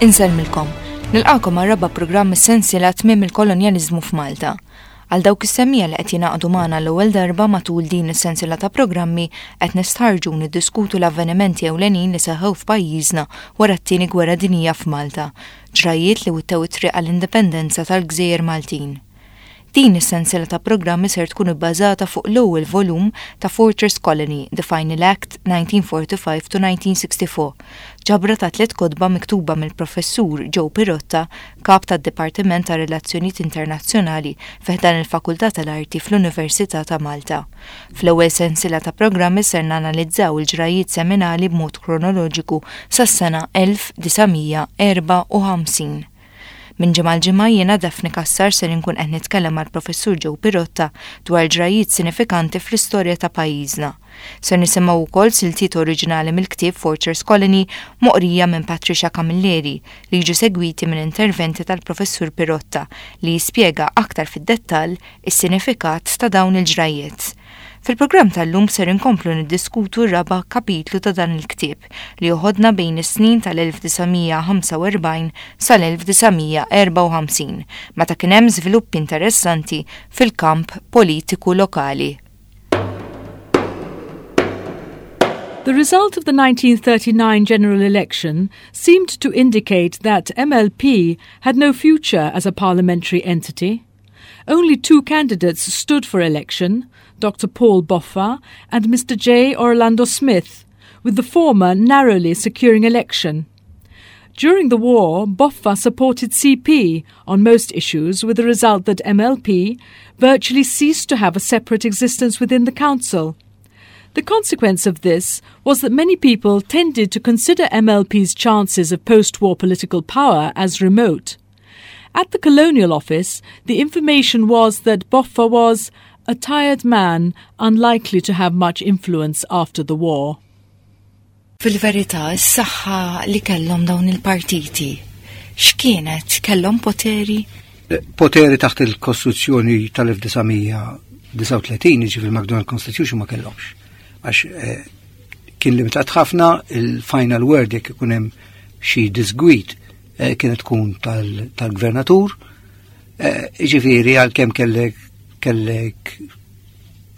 Insellmilkom. Nilqakom għar-raba' programm mis-sensiela Tmiem il-Kolonjaliżmu f'Malta. Għal dawk is-semmiegħa li qed jingħaqdu magħna għall-ewwel darba matul din is-sensiela ta' programmi qed nistħarrġu u niddiskutu l-avvenimenti ewlenin li seħħew f'pajjiżna wara t-Tieni Gwerra Dinjija f'Malta, ġrajjiet li wittew it-triq għall-indipendenza tal-gżejjer Maltin. Din is-sensiela ta' programmi ser tkun ibbażata fuq l-ewwel volum ta' Fortress Colony, The Final Act, 1945 to 1964, ġabra ta' tliet kotba miktuba mill-Professur Joe Pirotta, Kap tad-Dipartiment tar-Relazzjonijiet Internazzjonali fi ħdan il-Fakultà tal-Arti fl-Università ta' Malta. Fl-ewwel sensiela ta' programmi ser nanalizzaw il-ġrajjiet seminali b'mod kronoloġiku sas-sena 1954. Minn ġimgħa għal ġimgħa jiena Daphne Cassar ser inkun qed nitkellem mal-Professur Joe Pirotta dwar ġrajjiet sinifikanti fl-istorja ta' pajjiżna. Ser nisimgħu wkoll siltiet oriġinali mill-ktieb Fortress Colony moqrija minn Patricia Camilleri li jiġu segwiti minn interventi tal-Professur Pirotta li jispjega aktar fid-dettall is-sinifikat ta' dawn il-ġrajjiet. Fil-programm tal-lum ser inkomplu niddiskutu r-raba' kapitlu ta' dan il-ktieb li joħodna bejn is-snin tal-1945 sal-1954 meta kien hemm żviluppi interessanti fil-kamp politiku lokali. The result of the 1939 general election seemed to indicate that MLP had no future as a parliamentary entity. Only two candidates stood for election, Dr. Paul Boffa and Mr. J. Orlando Smith, with the former narrowly securing election. During the war, Boffa supported CP on most issues, with the result that MLP virtually ceased to have a separate existence within the council. The consequence of this was that many people tended to consider MLP's chances of post war political power as remote. At the Colonial Office, the information was that Boffa was a tired man unlikely to have much influence after the war. Fil-verità, is-saħħa li kellhom dawn il-partiti, x'kienet? Kellhom poteri? Poteri taħt il-Kostituzzjoni tal-1939, jiġifieri il-McDonald Constitution ma kellhomx. Għax eh, kien limitat ħafna il-final word jekk ikun hemm xi disgwid eh, kienet tkun tal-gvernatur, eh, ġifiri għal-kem kellek kellek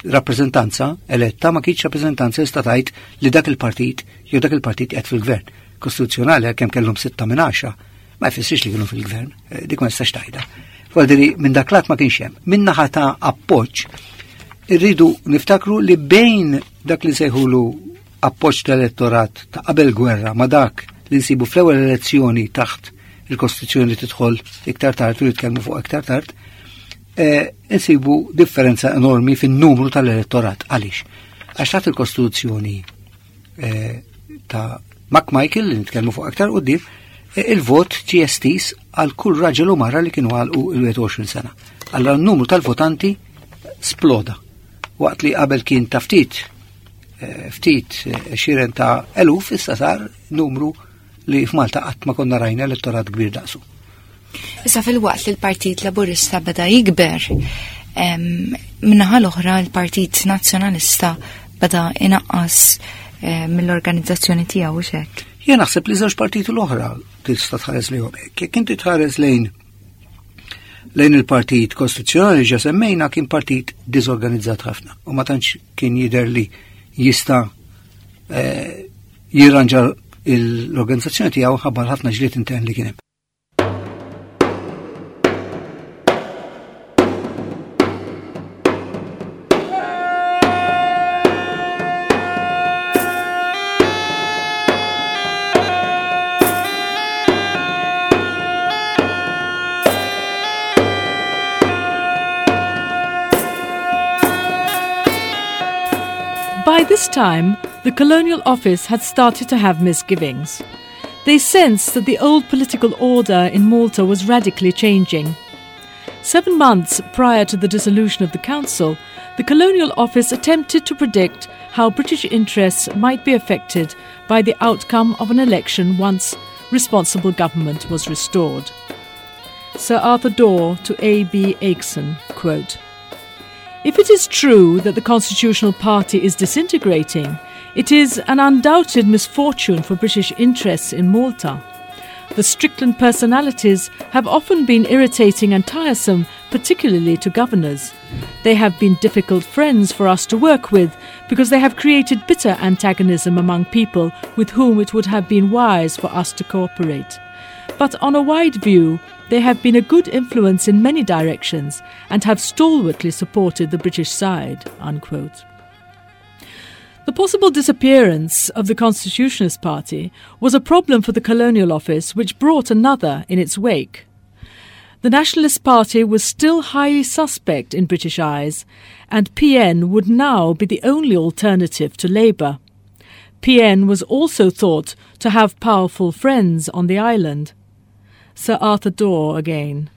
rappresentanza eletta ma kienx rappresentanza jista' tgħid li dak il-partit jew dak il-partit qed fil-gvern. Kostituzzjonali għalkemm kellhom sitta minn għaxra ma jfissirx li kienu fil-gvern, eh, dik ma jistax tgħidha. Faldiri minn dak lat ma kienx hemm. Min naħa ta' appoġġ irridu niftakru li bejn dak li sejħulu appoġġ tal-elettorat ta' qabel gwerra ma' dak li nsibu fl-ewwel elezzjoni taħt il-Kostituzzjoni li tidħol iktar tard u nitkellmu fuq iktar tard, eh, nsibu differenza enormi fin-numru tal-elettorat. Għaliex? Għax taħt il-Kostituzzjoni eh, ta' McMichael li nitkellmu fuq aktar qudiem, eh, il-vot ġie estiż għal kull raġel u mara li kienu għalqu il-21 sena. Allora n-numru tal-votanti sploda. Waqt li qabel kien ta' ftit eh, ftit eh, xiren ta' eluf issa sar numru li f'Malta qatt ma konna rajna elettorat kbir daqsu. Issa fil-waqt li l-Partit Laburista beda jikber, minnaħa l-oħra l-Partit Nazzjonalista beda inaqqas eh, mill-organizzazzjoni tiegħu xek. Jien naħseb li żewġ partiti l-oħra tista' tħares lejhom hekk. Jekk inti tħares lejn lejn il-Partit Kostituzzjonali ġa semmejna kien partit diżorganizzat ħafna u ma tantx kien jidher li jista' eh, jirranġa l-organizzazzjoni tiegħu ħabbar ħafna ġlied intern li kien hemm. By this time, the Colonial Office had started to have misgivings. They sensed that the old political order in Malta was radically changing. Seven months prior to the dissolution of the Council, the Colonial Office attempted to predict how British interests might be affected by the outcome of an election once responsible government was restored. Sir Arthur Dorr to A.B. Akeson, quote, If it is true that the Constitutional Party is disintegrating, it is an undoubted misfortune for British interests in Malta. The Strickland personalities have often been irritating and tiresome, particularly to governors. They have been difficult friends for us to work with because they have created bitter antagonism among people with whom it would have been wise for us to cooperate. But on a wide view, they have been a good influence in many directions and have stalwartly supported the British side. Unquote. The possible disappearance of the Constitutionalist Party was a problem for the Colonial Office, which brought another in its wake. The Nationalist Party was still highly suspect in British eyes, and PN would now be the only alternative to Labour. PN was also thought to have powerful friends on the island. Sir Arthur Dorr again.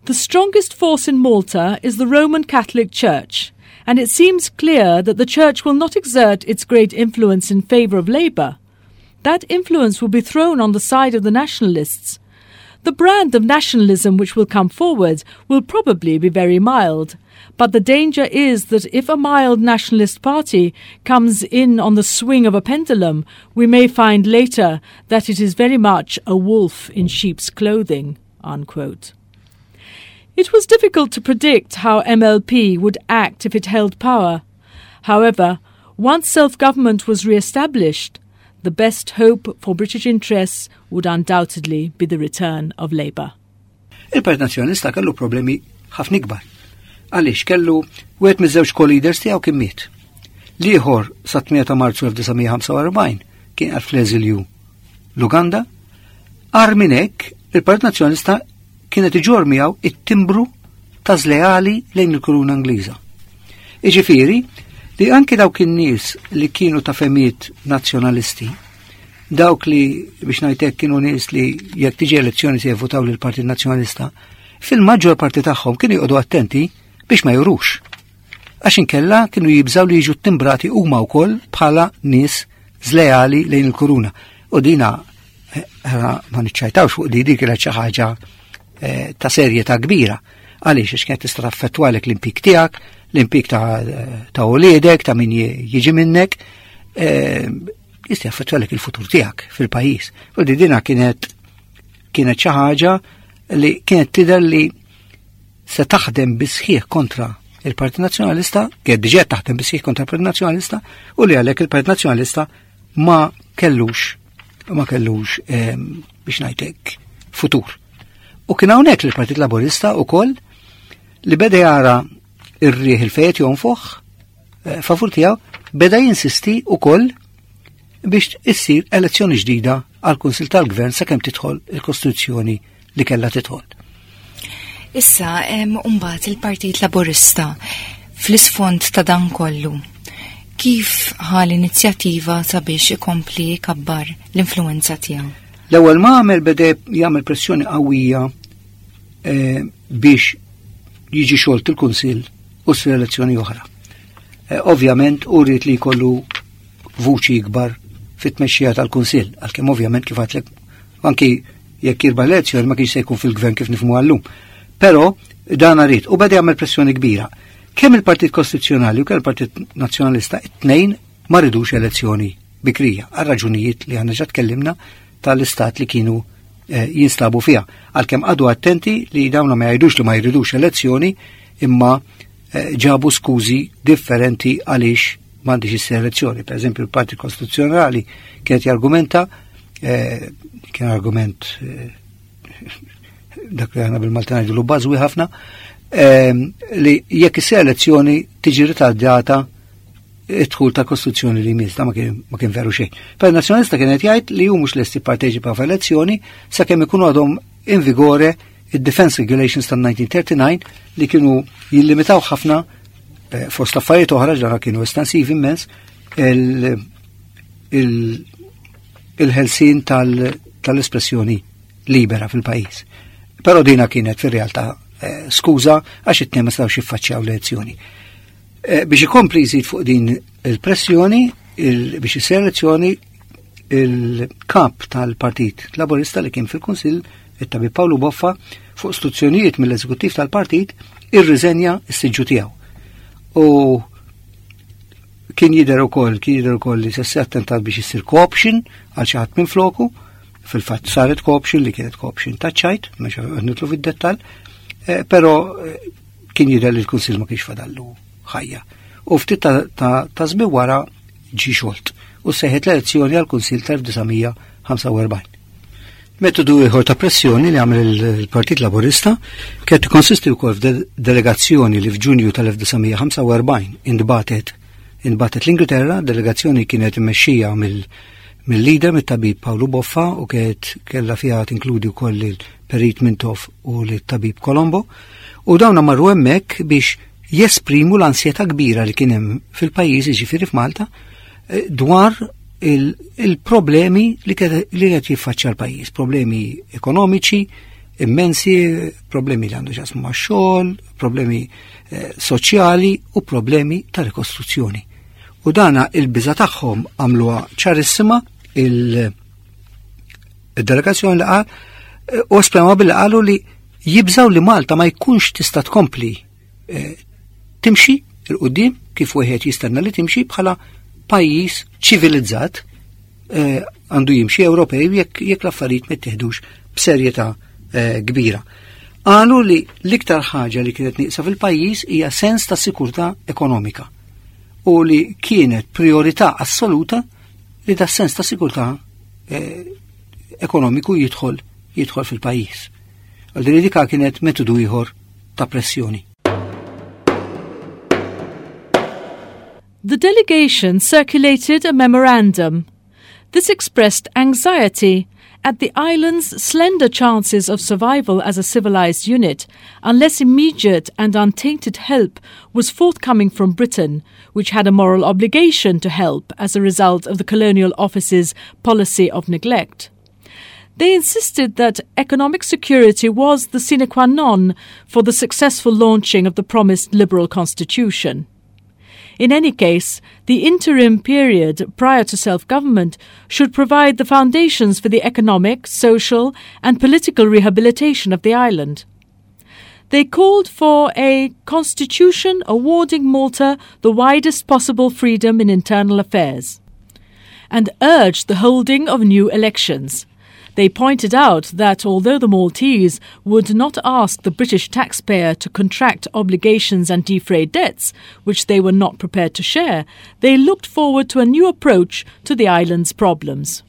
The strongest force in Malta is the Roman Catholic Church, and it seems clear that the Church will not exert its great influence in favour of Labour. That influence will be thrown on the side of the nationalists. The brand of nationalism which will come forward will probably be very mild, but the danger is that if a mild nationalist party comes in on the swing of a pendulum, we may find later that it is very much a wolf in sheep's clothing. Unquote. It was difficult to predict how MLP would act if it held power. However, once self government was re established, the best hope for British interests would undoubtedly be the return of Labour. Il-Partit Nazzjonalista kellu problemi ħafna ikbar. Għaliex kellu wieħed miż-żewġ co-leaders tiegħu kien miet. L-ieħor sa 8 ta' Marzu 1945 kien għal fl-eżilju l-Uganda. Agħar minn hekk, il-Partit Nazzjonalista kienet iġorr miegħu it-timbru ta' żleali lejn il-Kuruna Ingliża. Iġifieri li anki dawk in-nies li kienu ta' femiet nazzjonalisti, dawk li biex ngħidlek kienu nies li jekk tiġi elezzjoni se jivvutaw lil Partit Nazzjonalista, fil-maġġor parti tagħhom kienu jqogħdu attenti biex ma jurux. Għax inkella kienu jibżaw li jiġu timbrati huma wkoll bħala nies żleali lejn il-kuruna. U dina eh, ma niċċajtawx fuq di dik kienet xi ħaġa eh, ta' serjetà kbira. Għaliex għax kienet tista' taffettwalek l-impik tiegħek, l-impik ta', ta uliedek, ta' min jiġi minnek, eh, jista' jaffettwalek il-futur tiegħek fil-pajjiż. U di dina kienet kienet xi ħaġa li kienet tidher li se taħdem bisħieħ kontra il-Partit Nazzjonalista, kienet diġà taħdem bisħieħ kontra il-Partit Nazzjonalista, u li għalhekk il-Partit Nazzjonalista ma kellux ma kellux ehm, biex ngħidlek futur. U kien hawnhekk li l-Partit Laburista wkoll li beda jara ir-riħ il-fejet jonfoħ eh, favur tiegħu beda jinsisti wkoll biex issir elezzjoni ġdida għal kunsil tal-Gvern sakemm tidħol il-Kostituzzjoni li kellha tidħol. Issa, mbagħad il-Partit Laburista fl-isfond ta' dan kollu, kif ħa l-inizjattiva sabiex ikompli jkabbar l-influenza tiegħu? L-ewwel ma għamel beda jagħmel pressjoni qawwija eh, biex jiġi xolt il-Kunsill u ssir elezzjoni oħra. Eh, ovvjament u rrid li jkollu vuċi ikbar fit-tmexxija tal-Kunsill, għalkemm ovvjament kif għadlek anki jekk jirbaħ l-elezzjoni ma kienx se jkun fil-gvern kif nifhmu għallum. Però dan rrid u beda jagħmel pressjoni kbira. Kemm il-Partit Kostituzzjonali u kemm il-Partit Nazzjonalista it-tnejn ma ridux elezzjoni bikrija għal raġunijiet li għandna ġa tkellimna tal-istat li kienu eh, jinstabu fiha. Għalkemm għadu attenti li dawna ma jgħidux li ma jridux elezzjoni imma eh, ġabu skużi differenti għaliex m'għandix issir elezzjoni. Per eżempju, il-Partit Kostituzzjonali kienet jargumenta eh, kien argument dak li għana bil-Malta ngħidu bażwi ħafna, li jekk issir elezzjoni tiġi ritardata id-dħul ta' kostituzzjoni li jmiss, ma kien ma kien veru xejn. Per nazzjonalista kien qed jgħid li hu mhux lest jipparteċipa f'elezzjoni sakemm ikunu għadhom in vigore id-Defense Regulations tan-1939 li kienu jillimitaw ħafna eh, fost affarijiet oħra ġara kienu estensivi immens il-ħelsin tal-espressjoni libera fil-pajjiż. Però dina kienet fir-realtà eh, skuża għax it-tnejn ma setgħux jiffaċċjaw l-elezzjoni. Eh, biex ikompli jżid fuq din il-pressjoni, biex isir elezzjoni, il-kap tal-Partit Laburista li kien fil-Kunsill, it-tabib Pawlu Boffa, fuq istruzzjonijiet mill-eżekuttiv tal-partit, irriżenja s-siġġu tiegħu. U kien jidher ukoll, kien jidher ukoll li se attentat biex issir co-option għal xi ħadd minn floku. Fil-fatt saret co-option li kienet co-option ta' ċajt, mhux nitlu fid-dettall, eh, però eh, kien jidher li l-Kunsill ma kienx fadallu ħajja. U ftit ta' żmien wara ġie xolt u seħet l-elezzjoni għall-Kunsill tal-1945. Metodu ieħor ta' pressjoni li għamel il-Partit Laburista kienet tikkonsisti wkoll f'delegazzjoni li f'Ġunju tal-1945 intbatet intbatet l-Ingilterra, delegazzjoni kienet immexxija mill-leader mit-tabib Pawlu Boffa u kienet kellha fiha tinkludi wkoll il-Perit Mintoff u l-tabib Colombo. U dawna marru hemmhekk biex jesprimu l-ansjetà kbira li kien hemm fil-pajjiż, jiġifieri f'Malta, eh, dwar il-problemi li qed jiffaċċja l-pajjiż, problemi ekonomiċi immensi, problemi li għandu x'jaqsmu max-xogħol, problemi eh, soċjali u problemi ta' rikostruzzjoni. U dana il-biża tagħhom għamluha ċarissima il-delegazzjoni li qal eh, u esprema billi qalu li jibżaw li Malta ma jkunx tista' tkompli eh, timxi il-qudiem kif wieħed jistenna li timxi bħala pajjiż ċivilizzat eh, għandu jimxi Ewropej jekk jekk l-affarijiet ma jittieħdux b'serjetà eh, kbira. Qalu li l-iktar ħaġa li kienet nieqsa fil-pajjiż hija sens ta' sikurtà ekonomika u li kienet priorità assoluta li da sens ta' sikurtà ekonomiku jidħol jidħol fil-pajjiż. Għal din dika kienet metodu ieħor ta' pressjoni. The delegation circulated a memorandum. This expressed anxiety at the island's slender chances of survival as a civilized unit unless immediate and untainted help was forthcoming from Britain, which had a moral obligation to help as a result of the Colonial Office's policy of neglect. They insisted that economic security was the sine qua non for the successful launching of the promised liberal constitution. In any case, the interim period prior to self government should provide the foundations for the economic, social, and political rehabilitation of the island. They called for a constitution awarding Malta the widest possible freedom in internal affairs and urged the holding of new elections. They pointed out that although the Maltese would not ask the British taxpayer to contract obligations and defray debts, which they were not prepared to share, they looked forward to a new approach to the island's problems.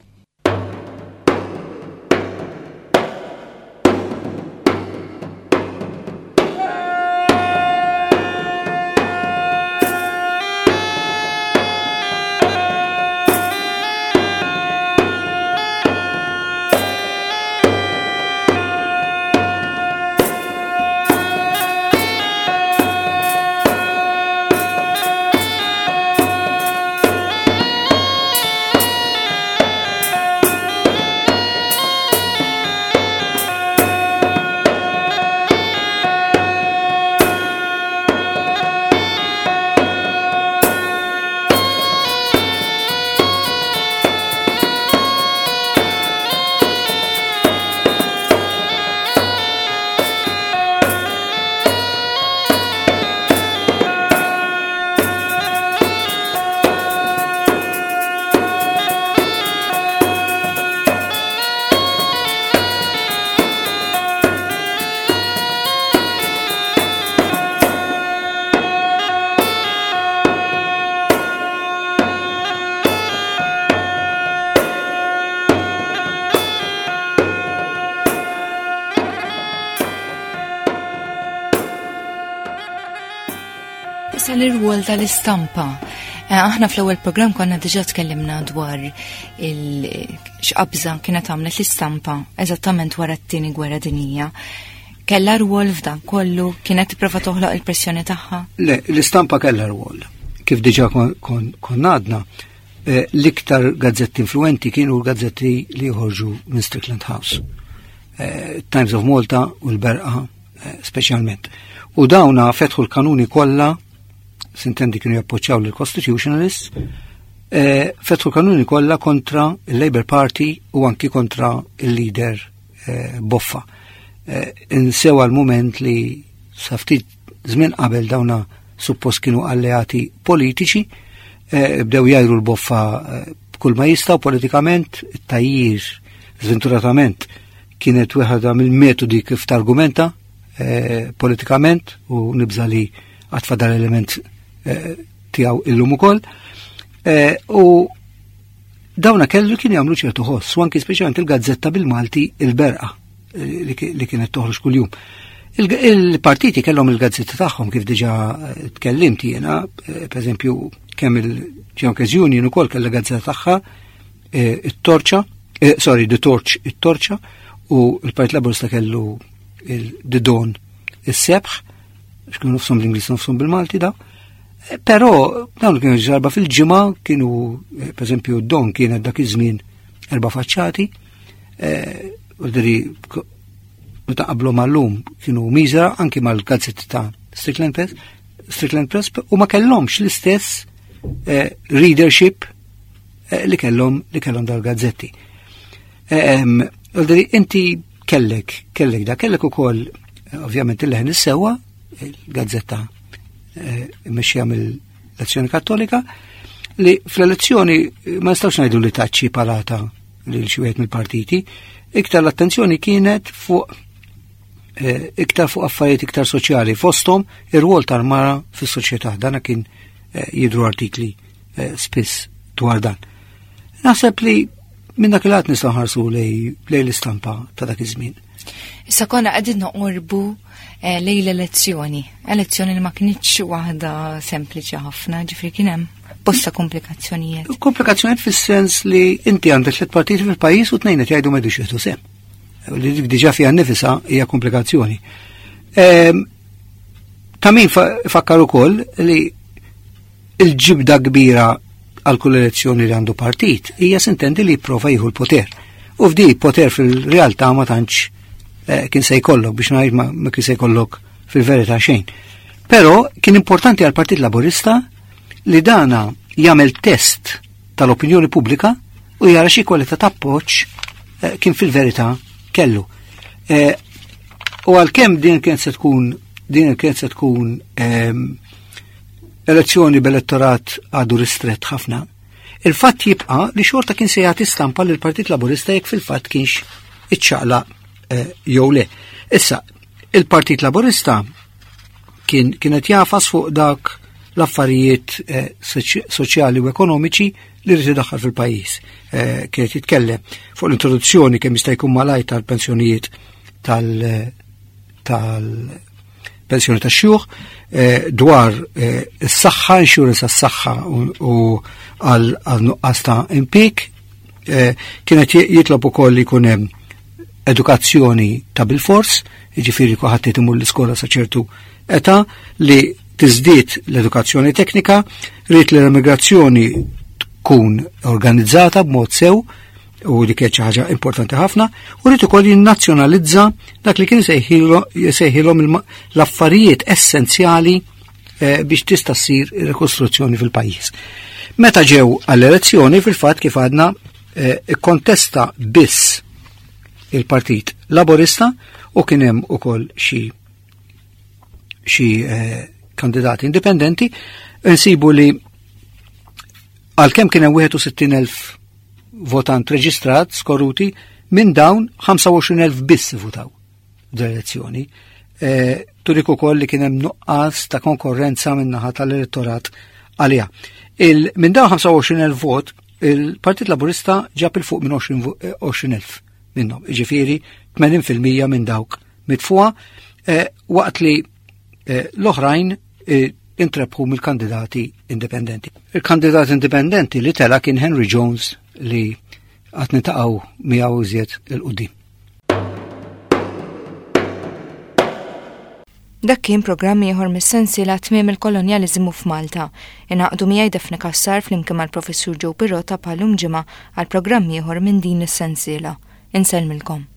Issa l-irwol tal-istampa. Eh, aħna fl-ewwel programm konna diġà tkellimna dwar il-x'qabża kienet għamlet l-istampa eżattament wara t-tieni gwerra dinjija. Kellha rwol f'dan kollu, kienet tipprova toħloq il-pressjoni tagħha? Le, l-istampa kellha rwol. Kif diġà konna għadna, eh, l-iktar gazzetti influenti kienu l-gazzetti li joħorġu minn Strickland House. Eh, Times of Malta u l-Berqa eh, speċjalment. U dawna fetħu l-kanuni kollha, sintendi kienu jappoċċjaw lill-Constitutionalists, fetħu l-kanuni kollha kontra il-Labour Party u anki kontra il-leader Boffa. Insew għal-moment li sa ftit żmien qabel dawna suppost kienu alleati politiċi, eh, bdew jajru l-boffa eh, kull ma jistgħu politikament, it-tajjir Sventuratament kienet wieħeda mill-metodi kif targumenta eh, politikament u nibża li għatfa dal-element eh, tiegħu illum ukoll. Eh, u dawna kellu kien jagħmlu ċertu ħoss, u anki speċjalment il-gazzetta bil-Malti il-Berqa li kienet toħroġ kuljum. Il-partiti kellhom il-gazzetti tagħhom kif diġà tkellimt jiena, pereżempju kemm il-Junkers Union ukoll kellha gazzetta tagħha eh, it-torċa, eh, sorry, the torch, it-torċa, u l-Partit Laburista kellu il-The Dawn, is-sebħ, x'kienu nofshom l-Ingliż nofshom bil-Malti da. Eh, però dawn kienu ġarba fil-ġimgħa kienu, per eżempju, Dawn kienet dak iż-żmien erba' faċċati, u diri meta qablu mal-lum kienu miżra anki mal-gazzetti ta' Strickland Press, Strickland Press u ma kellhomx l-istess readership Eh, li kellhom li kellhom dal-gazzetti. Eh, inti kellek, kellek da, kellek ukoll eh, ovvjament il-leħen is-sewwa, il-gazzetta mmexxija mill-Azzjoni Kattolika, li fl-elezzjoni ma nistgħux ngħidu li taċċi palata lil xi wieħed mill-partiti, iktar l-attenzjoni kienet fuq iktar fuq affarijiet iktar soċjali fosthom ir-rwol tal-mara fis-soċjetà. Dana kien jidru artikli Eh, spiss dwar dan. Naħseb li minn dak il-għat nistgħu ħarsu lej l-istampa ta' dak iż-żmien. Issa konna qegħdin noqorbu eh, lej l-elezzjoni, elezzjoni li ma kinitx waħda sempliċi ħafna, ġifri kien hemm bosta komplikazzjonijiet. Komplikazzjonijiet fis-sens li inti għandek tliet partiti fil-pajjiż u tnejn qed jgħidu m'għedux jieħdu sehem. Li dik diġà fiha nnifisha hija komplikazzjoni. Ehm, ta' min fakkar ukoll li Il-ġibda kbira għal kull elezzjoni li għandu partit hija sintendi li jipprova jieħu l-poter. U f'di poter fil-realtà ma tantx eh, kien se jkollok biex ngħid ma kien se jkollok fil-verità xejn. Però kien importanti għal Partit Laburista li dana jagħmel test tal-opinjoni pubblika u jara xi kwalità ta' appoġġ eh, kien fil-verità kellu. Eh, u għalkemm din kien se tkun din kien se tkun ehm, elezzjoni b'elettorat għadu ristrett ħafna, il-fatt jibqa' li xorta kien se jagħti stampa lil Partit Laburista jekk fil-fatt kienx iċċaqla eh, jew le. Issa, il-Partit Laburista kien kienet jafas fuq dak l-affarijiet eh, soċjali u ekonomiċi li rrid idaħħal fil-pajjiż. Eh, kienet jitkellem fuq l-introduzzjoni kemm jista' jkun malajt tal-pensjonijiet tal- tal pensjoni ta' xjuħ, eh, dwar eh, is-saħħa, insurance għas-saħħa u għal nuqqas ta' impik, eh, kienet jitlob ukoll li jkun hemm edukazzjoni ta' bil-fors, jiġifieri kulħadd imur l-iskola sa ċertu età li tiżdied l-edukazzjoni teknika, rrid li l-immigrazzjoni tkun organizzata b'mod sew, u dik kienet xi ħaġa importanti ħafna, u rrid ukoll jinnazzjonalizza dak li kien jsejħilhom l-affarijiet essenzjali eh, biex tista' ssir ir-rikostruzzjoni fil-pajjiż. Meta ġew għall-elezzjoni fil-fatt kif għadna eh, ikkontesta biss il-Partit Laborista u kien hemm ukoll xi xi eh, kandidati indipendenti, nsibu li għalkemm kien hemm 61,000 votant reġistrat skoruti minn dawn 25,000 biss votaw d-elezzjoni. E, turik ukoll li kien hemm nuqqas ta' konkorrenza minn naħa tal-elettorat għaliha. Minn dawn 25,000 vot, il-Partit Laburista ġab il fuq minn 20,000 eh, minnhom, jiġifieri 80% minn dawk mitfuha, e, waqt li e, l-oħrajn intrebħu mill-kandidati indipendenti. Il-kandidat indipendenti li tela kien Henry Jones li għat nitaqgħu miegħu iżjed il-qudiem. Dak kien programm ieħor mis-sensiela Tmiem il-Kolonjaliżmu f'Malta. Ingħaqdu miegħi Daphne Cassar flimkien mal-Professur Joe Pirotta bħal-lum ġimgħa għal programm ieħor minn din is-sensiela. Insellmilkom.